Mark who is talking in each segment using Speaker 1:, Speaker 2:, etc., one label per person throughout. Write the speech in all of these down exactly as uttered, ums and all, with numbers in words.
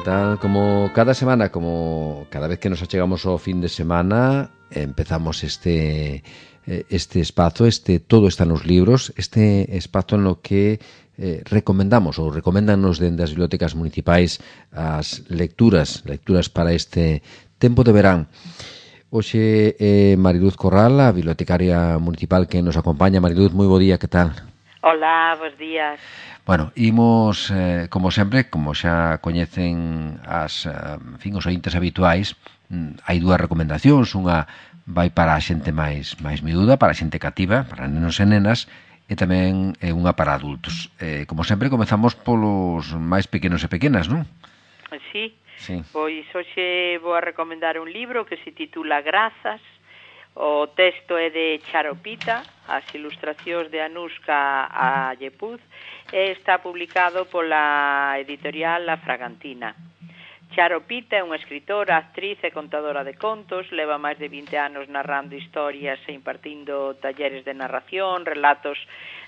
Speaker 1: tal? Como cada semana, como cada vez que nos achegamos ao fin de semana, empezamos este este espazo, este Todo está nos libros, este espazo no que eh, recomendamos ou recomendanos dende as bibliotecas municipais as lecturas, lecturas para este tempo de verán. Hoxe é Mariluz Corral, a bibliotecaria municipal que nos acompaña. Mariluz, moi bo día, que tal?
Speaker 2: Hola, bons días.
Speaker 1: Bueno, imos, eh, como sempre, como xa coñecen as, en fin, os ointes habituais, hai dúas recomendacións, unha vai para a xente máis máis miúda, para a xente cativa, para nenos e nenas, e tamén é unha para adultos. Eh, como sempre, comezamos polos máis pequenos e pequenas, non?
Speaker 2: Sí,
Speaker 1: sí.
Speaker 2: Pois hoxe vou a recomendar un libro que se titula Grazas. O texto é de Charo Pita, as ilustracións de Anuska Ayepuz, e está publicado pola editorial La Fragantina. Charo Pita é unha escritora, actriz e contadora de contos, leva máis de vinte anos narrando historias e impartindo talleres de narración, relatos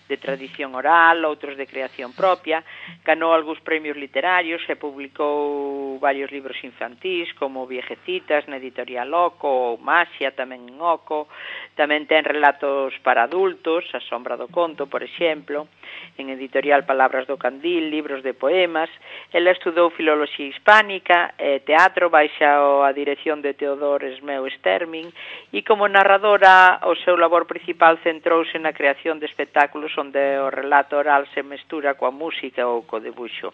Speaker 2: de tradición oral, outros de creación propia. Ganou algúns premios literarios e publicou varios libros infantís, como Viejecitas, na editorial Oco, ou Maxia, tamén en Oco. Tamén ten relatos para adultos, A sombra do conto, por exemplo, en editorial Palabras do Candil, libros de poemas. Ela estudou filoloxía hispánica e teatro baixa a dirección de Teodor Esmeu Stermin, e como narradora o seu labor principal centrouse na creación de espectáculos onde o relato oral se mestura coa música ou co debuxo.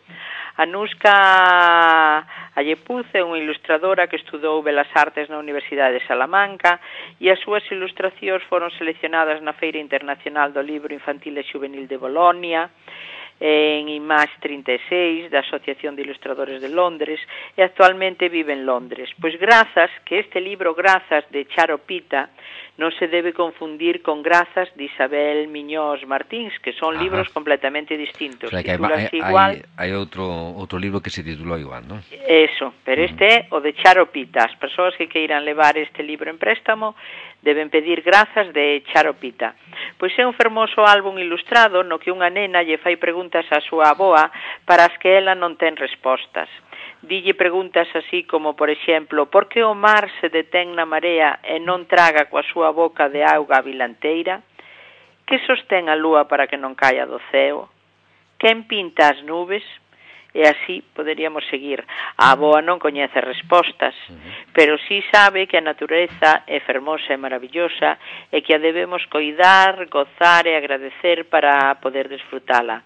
Speaker 2: Anuska Ayepuz é unha ilustradora que estudou Belas Artes na Universidade de Salamanca e as súas ilustracións foron seleccionadas na Feira Internacional do Libro Infantil e Juvenil de Bolonia, en IMAX trinta e seis, da Asociación de Ilustradores de Londres, e actualmente vive en Londres. Pois Grazas, que este libro Grazas de Charo Pita non se debe confundir con Grazas de Isabel Miñós Martins, que son Ajá. libros completamente distintos.
Speaker 1: O sea, que hai,
Speaker 2: igual...
Speaker 1: hai, hai outro, outro libro que se titulou igual, non?
Speaker 2: Eso, pero este é o de Charo Pita. As persoas que queiran levar este libro en préstamo deben pedir Grazas de Charo Pita. Pois é un fermoso álbum ilustrado no que unha nena lle fai preguntas á súa avoa para as que ela non ten respostas. Dille preguntas así como, por exemplo, por que o mar se detén na marea e non traga coa súa boca de auga a vilanteira? Que sostén a lúa para que non caia do ceo? Quen pinta as nubes? E así poderíamos seguir. A avoa non coñece respostas, pero sí sabe que a natureza é fermosa e maravillosa e que a debemos coidar, gozar e agradecer para poder desfrutala.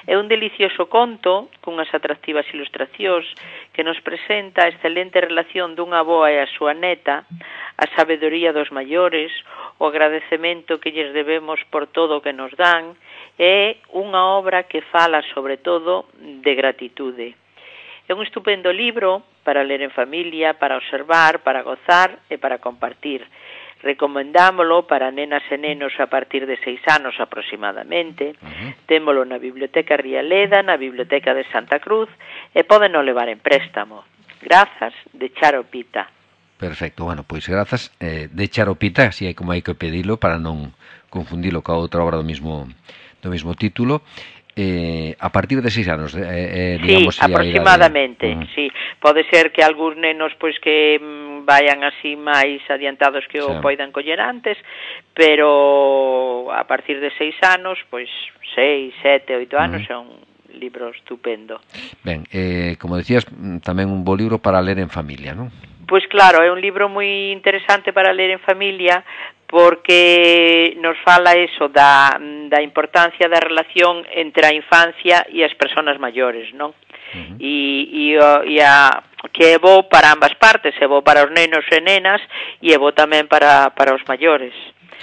Speaker 2: É un delicioso conto cunhas atractivas ilustracións que nos presenta a excelente relación dunha avoa e a súa neta, a sabedoría dos maiores, o agradecemento que lles debemos por todo o que nos dan. É unha obra que fala sobre todo de gratitude. É un estupendo libro para ler en familia, para observar, para gozar e para compartir. Recomendámolo para nenas e nenos a partir de seis anos aproximadamente. Uh-huh. Témolo na Biblioteca Rialeda, na Biblioteca de Santa Cruz, e pódeno levar en préstamo. Grazas de Charo Pita.
Speaker 1: Perfecto, bueno, pois grazas eh, de Charo Pita, así hai como hai que pedilo para non confundilo ca outra obra do mismo do mismo título. Eh, a partir de seis anos, eh, eh, digamos,
Speaker 2: sí, aproximadamente,
Speaker 1: de... uh-huh.
Speaker 2: sí. Pode ser que algúns nenos pois que mm, vayan así máis adiantados que o sí. poidan coller antes, pero a partir de seis anos, pois seis, sete, oito anos uh-huh. é un libro estupendo.
Speaker 1: Ben, eh, como decías, tamén un bo libro para ler en familia, non?
Speaker 2: Pois claro, é un libro moi interesante para ler en familia, porque nos fala eso da, da importancia da relación entre a infancia e as persoas maiores, non? Uh-huh. E, e, e a, que é bo para ambas partes, é bo para os nenos e nenas e é bo tamén para, para os maiores.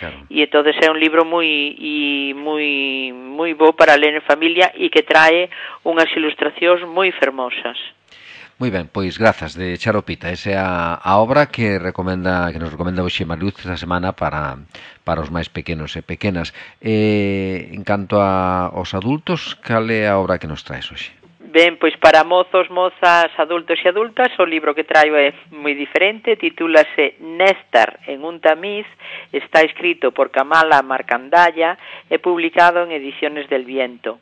Speaker 2: Claro. E entonces é un libro moi e moi moi bo para ler en familia e que trae unhas ilustracións moi fermosas.
Speaker 1: Moi ben, pois grazas de Charo Pita. Esa é a, a obra que recomenda que nos recomenda hoxe Mariluz esta semana para para os máis pequenos e pequenas. Eh, en canto a aos adultos, cal é a obra que nos traes hoxe?
Speaker 2: Ben, pois para mozos, mozas, adultos e adultas, o libro que traio é moi diferente, titúlase Néstar en un tamiz, está escrito por Kamala Marcandalla e publicado en Ediciones del Viento.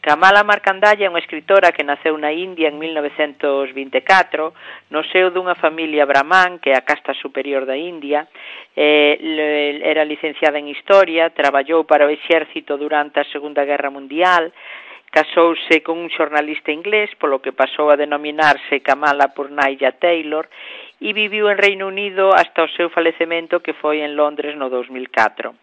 Speaker 2: Kamala Markandaya é unha escritora que naceu na India en mil novecentos vinte e catro, no seo dunha familia brahman, que é a casta superior da India. Eh, era licenciada en Historia, traballou para o exército durante a Segunda Guerra Mundial, casouse con un xornalista inglés, polo que pasou a denominarse Kamala Purnaya Taylor, e viviu en Reino Unido hasta o seu falecemento, que foi en Londres no dos mil catro.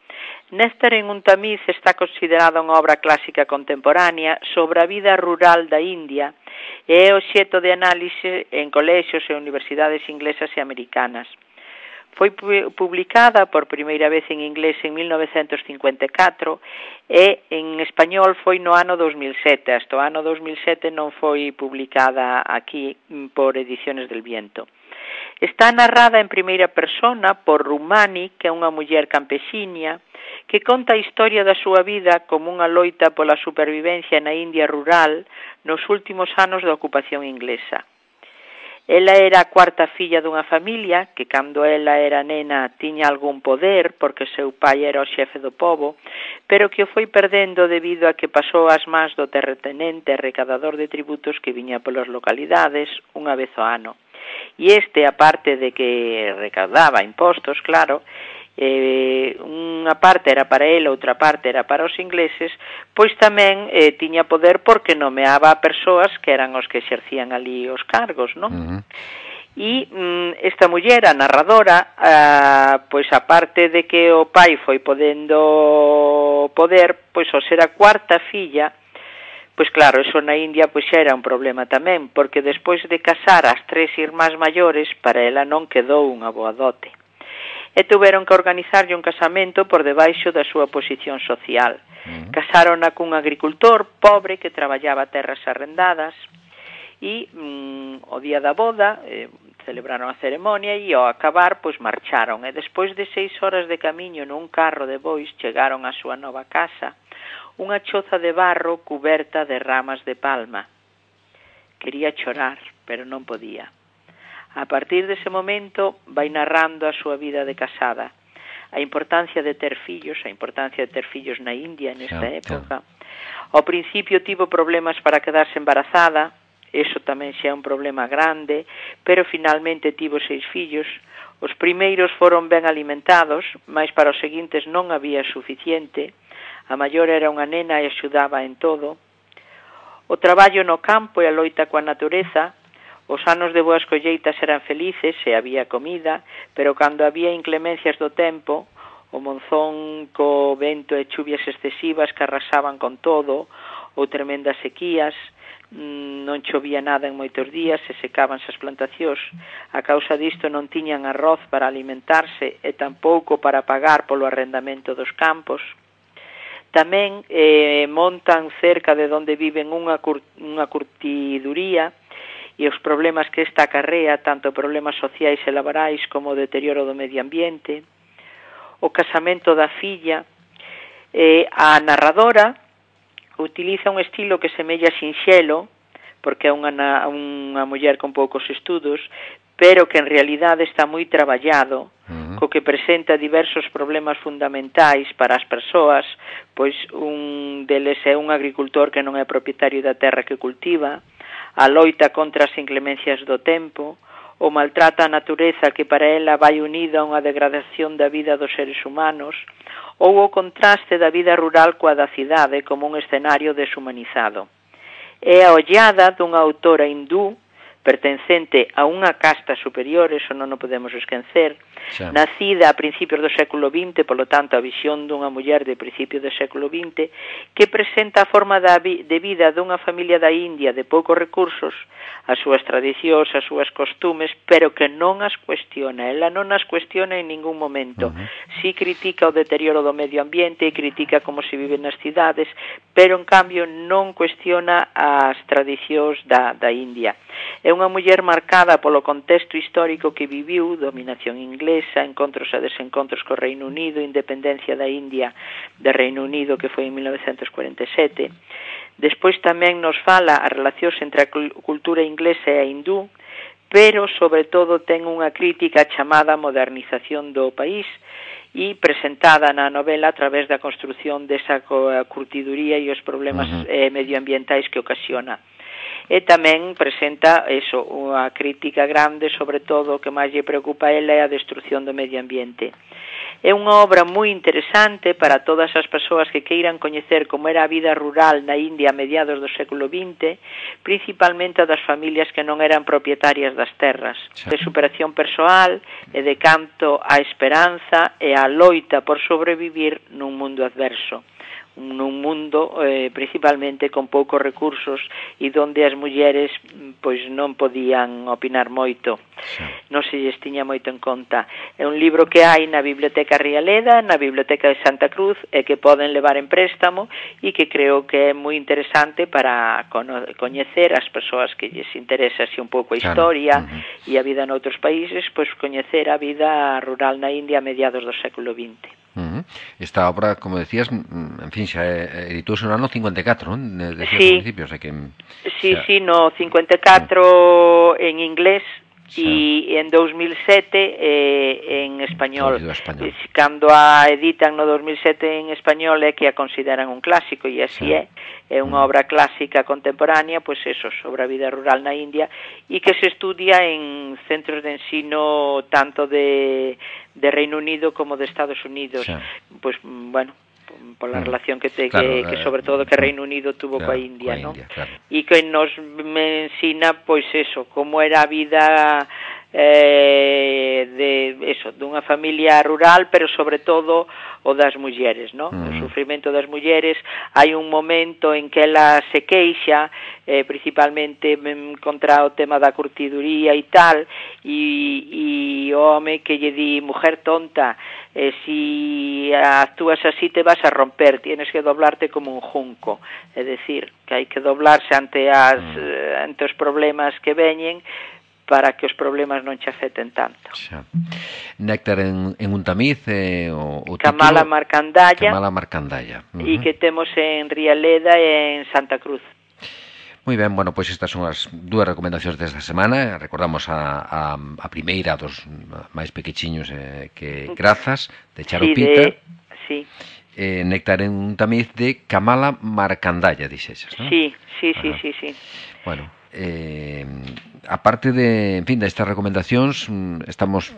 Speaker 2: Néctar en un tamiz está considerada unha obra clásica contemporánea sobre a vida rural da India e é obxecto de análise en colexios e universidades inglesas e americanas. Foi publicada por primeira vez en inglés en mil novecentos cincuenta e catro e en español foi no ano dos mil sete. Hasta o ano dos mil sete non foi publicada aquí por Ediciones del Viento. Está narrada en primeira persona por Rumani, que é unha muller campexiña, que conta a historia da súa vida como unha loita pola supervivencia na India rural nos últimos anos da ocupación inglesa. Ela era a cuarta filla dunha familia que, cando ela era nena, tiña algún poder porque seu pai era o xefe do pobo, pero que o foi perdendo debido a que pasou as mans do terratenente recadador de tributos que viña polas localidades unha vez ao ano. E este, aparte de que recaudaba impostos, claro, eh, unha parte era para ele, outra parte era para os ingleses, pois tamén eh, tiña poder porque nomeaba a persoas que eran os que exercían ali os cargos, non? Uh-huh. E mm, esta muller, a narradora, ah, pois aparte de que o pai foi podendo poder, pois ao ser a cuarta filla, pois claro, eso na India pois xa era un problema tamén, porque despois de casar as tres irmás maiores, para ela non quedou unha boa dote. E tuveron que organizarlle un casamento por debaixo da súa posición social. Uh-huh. Casárona cun agricultor pobre que traballaba terras arrendadas e mm, o día da boda eh, celebraron a ceremonia e ao acabar pois marcharon. E despois de seis horas de camiño nun carro de bois chegaron á súa nova casa, unha choza de barro cuberta de ramas de palma. Quería chorar, pero non podía. A partir dese momento vai narrando a súa vida de casada, a importancia de ter fillos, a importancia de ter fillos na India nesta yeah, época. Yeah. Ao principio tivo problemas para quedarse embarazada, eso tamén xa é un problema grande, pero finalmente tivo seis fillos. Os primeiros foron ben alimentados, mas para os seguintes non había suficiente. A maior era unha nena e axudaba en todo. O traballo no campo e a loita coa natureza. Os anos de boas colleitas eran felices e había comida, pero cando había inclemencias do tempo, o monzón co vento e chuvias excesivas que arrasaban con todo, ou tremendas sequías, non chovía nada en moitos días e secábanse as plantacións. A causa disto non tiñan arroz para alimentarse e tampouco para pagar polo arrendamento dos campos. Tamén eh, montan cerca de onde viven unha, cur, unha curtiduría e os problemas que esta acarrea, tanto problemas sociais e laborais como o deterioro do medio ambiente. O casamento da filla. Eh, a narradora utiliza un estilo que semella sinxelo, porque é unha, unha muller con poucos estudos, pero que en realidade está moi traballado, uh-huh. co que presenta diversos problemas fundamentais para as persoas, pois un deles é un agricultor que non é propietario da terra que cultiva, a loita contra as inclemencias do tempo, o maltrata a natureza que para ela vai unida a unha degradación da vida dos seres humanos, ou o contraste da vida rural coa da cidade como un escenario deshumanizado. É a ollada dunha autora hindú pertencente a unha casta superior, eso non o podemos esquecer, xa. Nacida a principios do século vinte, polo tanto a visión dunha muller de principio do século vinte, que presenta a forma de vida dunha familia da India de poucos recursos, as súas tradicións, as súas costumes, pero que non as cuestiona. Ela non as cuestiona en ningún momento. Uh-huh. Si critica o deterioro do medio ambiente e critica como se vive nas cidades, pero en cambio non cuestiona as tradicións da, da India. É unha muller marcada polo contexto histórico que viviu, dominación inglesa, encontros e desencontros co Reino Unido, independencia da India de Reino Unido, que foi en mil novecentos cuarenta e sete. Despois tamén nos fala as relacións entre a cultura inglesa e a hindú, pero sobre todo ten unha crítica chamada modernización do país e presentada na novela a través da construción desa curtiduría e os problemas uh-huh. eh, medioambientais que ocasiona. E tamén presenta eso, unha crítica grande, sobre todo o que máis lle preocupa a ela é a destrucción do medio ambiente. É unha obra moi interesante para todas as persoas que queiran coñecer como era a vida rural na India a mediados do século vinte, principalmente a das familias que non eran propietarias das terras, de superación persoal e de canto á esperanza e á loita por sobrevivir nun mundo adverso. Nun mundo eh, principalmente con poucos recursos e donde as mulleres pois non podían opinar moito, sí. non se lles tiña moito en conta. É un libro que hai na Biblioteca Rialeda, na Biblioteca de Santa Cruz, e que poden levar en préstamo e que creo que é moi interesante para coñecer as persoas que lles interesa así un pouco a historia claro. uh-huh. e a vida noutros países, pois coñecer a vida rural na India a mediados do século vinte.
Speaker 1: Uh-huh. Esta obra, como decías, en fin, xa editouse no ano cincuenta e catro, non? Decías
Speaker 2: sí.
Speaker 1: ao principio, o sea que...
Speaker 2: Sí,
Speaker 1: xa...
Speaker 2: sí, no cincuenta e catro uh-huh. en inglés e en dos mil sete eh, en español. español. Cando a editan no dos mil sete en español é que a consideran un clásico, e así sí. é. É unha obra clásica contemporánea, pois eso, sobre a vida rural na India, e que se estudia en centros de ensino tanto de, de Reino Unido como de Estados Unidos. Sí. Pois, bueno, pola relación que, te, claro, que, que sobre todo que Reino Unido tuvo claro, coa India, ¿no? India, claro. E que nos me ensina, pois eso, como era a vida eh, de eso, dunha familia rural, pero sobre todo o das mulleres, ¿no? Uh-huh. O sufrimento das mulleres. Hai un momento en que ela se queixa, eh, principalmente contra o tema da curtiduría e tal, e, e o home que lle di, mujer tonta, eh, si actúas así te vas a romper, tienes que doblarte como un junco. É dicir, que hai que doblarse ante, as, uh-huh. ante os problemas que veñen, para que os problemas non che afecten tanto.
Speaker 1: Xa. Néctar en, en un tamiz, eh, o, o
Speaker 2: Kamala
Speaker 1: título...
Speaker 2: Marcandalla.
Speaker 1: Kamala Marcandalla.
Speaker 2: Uh-huh. E que temos en Rialeda e en Santa Cruz.
Speaker 1: Moi ben, bueno, pois estas son as dúas recomendacións desta semana. Recordamos a, a, a primeira dos máis pequechiños eh, que Grazas, de Charo Pita.
Speaker 2: Sí, de... sí.
Speaker 1: Eh, Néctar en un tamiz de Kamala Marcandalla, dixeches, non?
Speaker 2: Sí, sí, sí, sí, sí.
Speaker 1: Bueno, eh, aparte de, en fin, destas recomendacións, estamos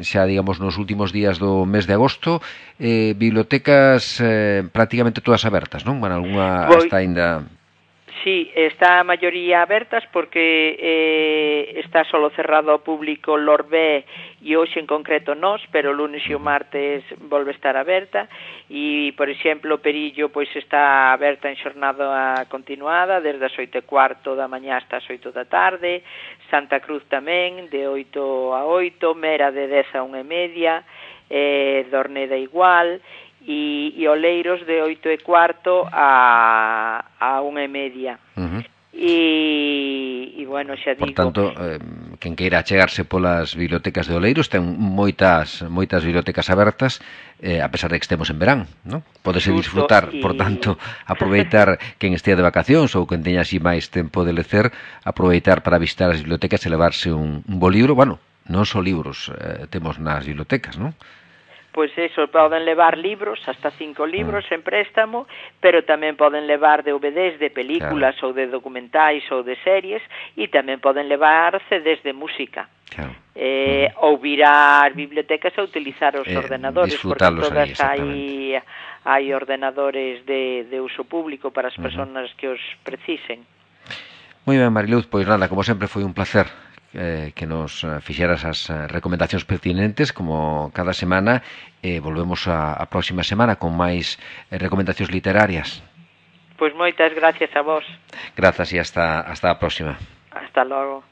Speaker 1: xa, digamos, nos últimos días do mes de agosto, eh, bibliotecas eh, prácticamente todas abertas, non? Bueno, algunha
Speaker 2: Voy...
Speaker 1: hasta ainda...
Speaker 2: Sí, está a maioría abertas porque eh, está solo cerrado ao público Lorbe e hoxe en concreto nós, pero o lunes e o martes volve a estar aberta e, por exemplo, Perillo pois está aberta en xornada continuada desde as oito e cuarto da mañá hasta as oito da tarde, Santa Cruz tamén de oito a oito, Mera de dez a unha e media, eh, Dorneda igual, e, e Oleiros de oito e cuarto a, a unha e media. Uh-huh. E, e, bueno, xa digo...
Speaker 1: Por tanto, eh, quen queira achegarse polas bibliotecas de Oleiros ten moitas moitas bibliotecas abertas, eh, a pesar de que estemos en verán, non? Pódese disfrutar, y... por tanto, aproveitar quen estea de vacacións ou quen teña así máis tempo de lecer, aproveitar para visitar as bibliotecas e levarse un, un bo libro. Bueno, non só libros eh, temos nas bibliotecas, non?
Speaker 2: Pois eso, poden levar libros, hasta cinco libros en préstamo, pero tamén poden levar D V Ds de películas claro. ou de documentais ou de series, e tamén poden levar C Ds de música. Claro. Eh, uh-huh. Ou vir ás bibliotecas a utilizar os eh, ordenadores, porque todas hai, hai ordenadores de, de uso público para as persoas uh-huh. que os precisen.
Speaker 1: Moi ben, Mariluz, pois nada, como sempre foi un placer Eh, que nos fixeras as recomendacións pertinentes como cada semana. Eh, volvemos a, a próxima semana con máis eh, recomendacións literarias.
Speaker 2: Pois moitas gracias a vos.
Speaker 1: Grazas e hasta, hasta a próxima.
Speaker 2: Hasta logo.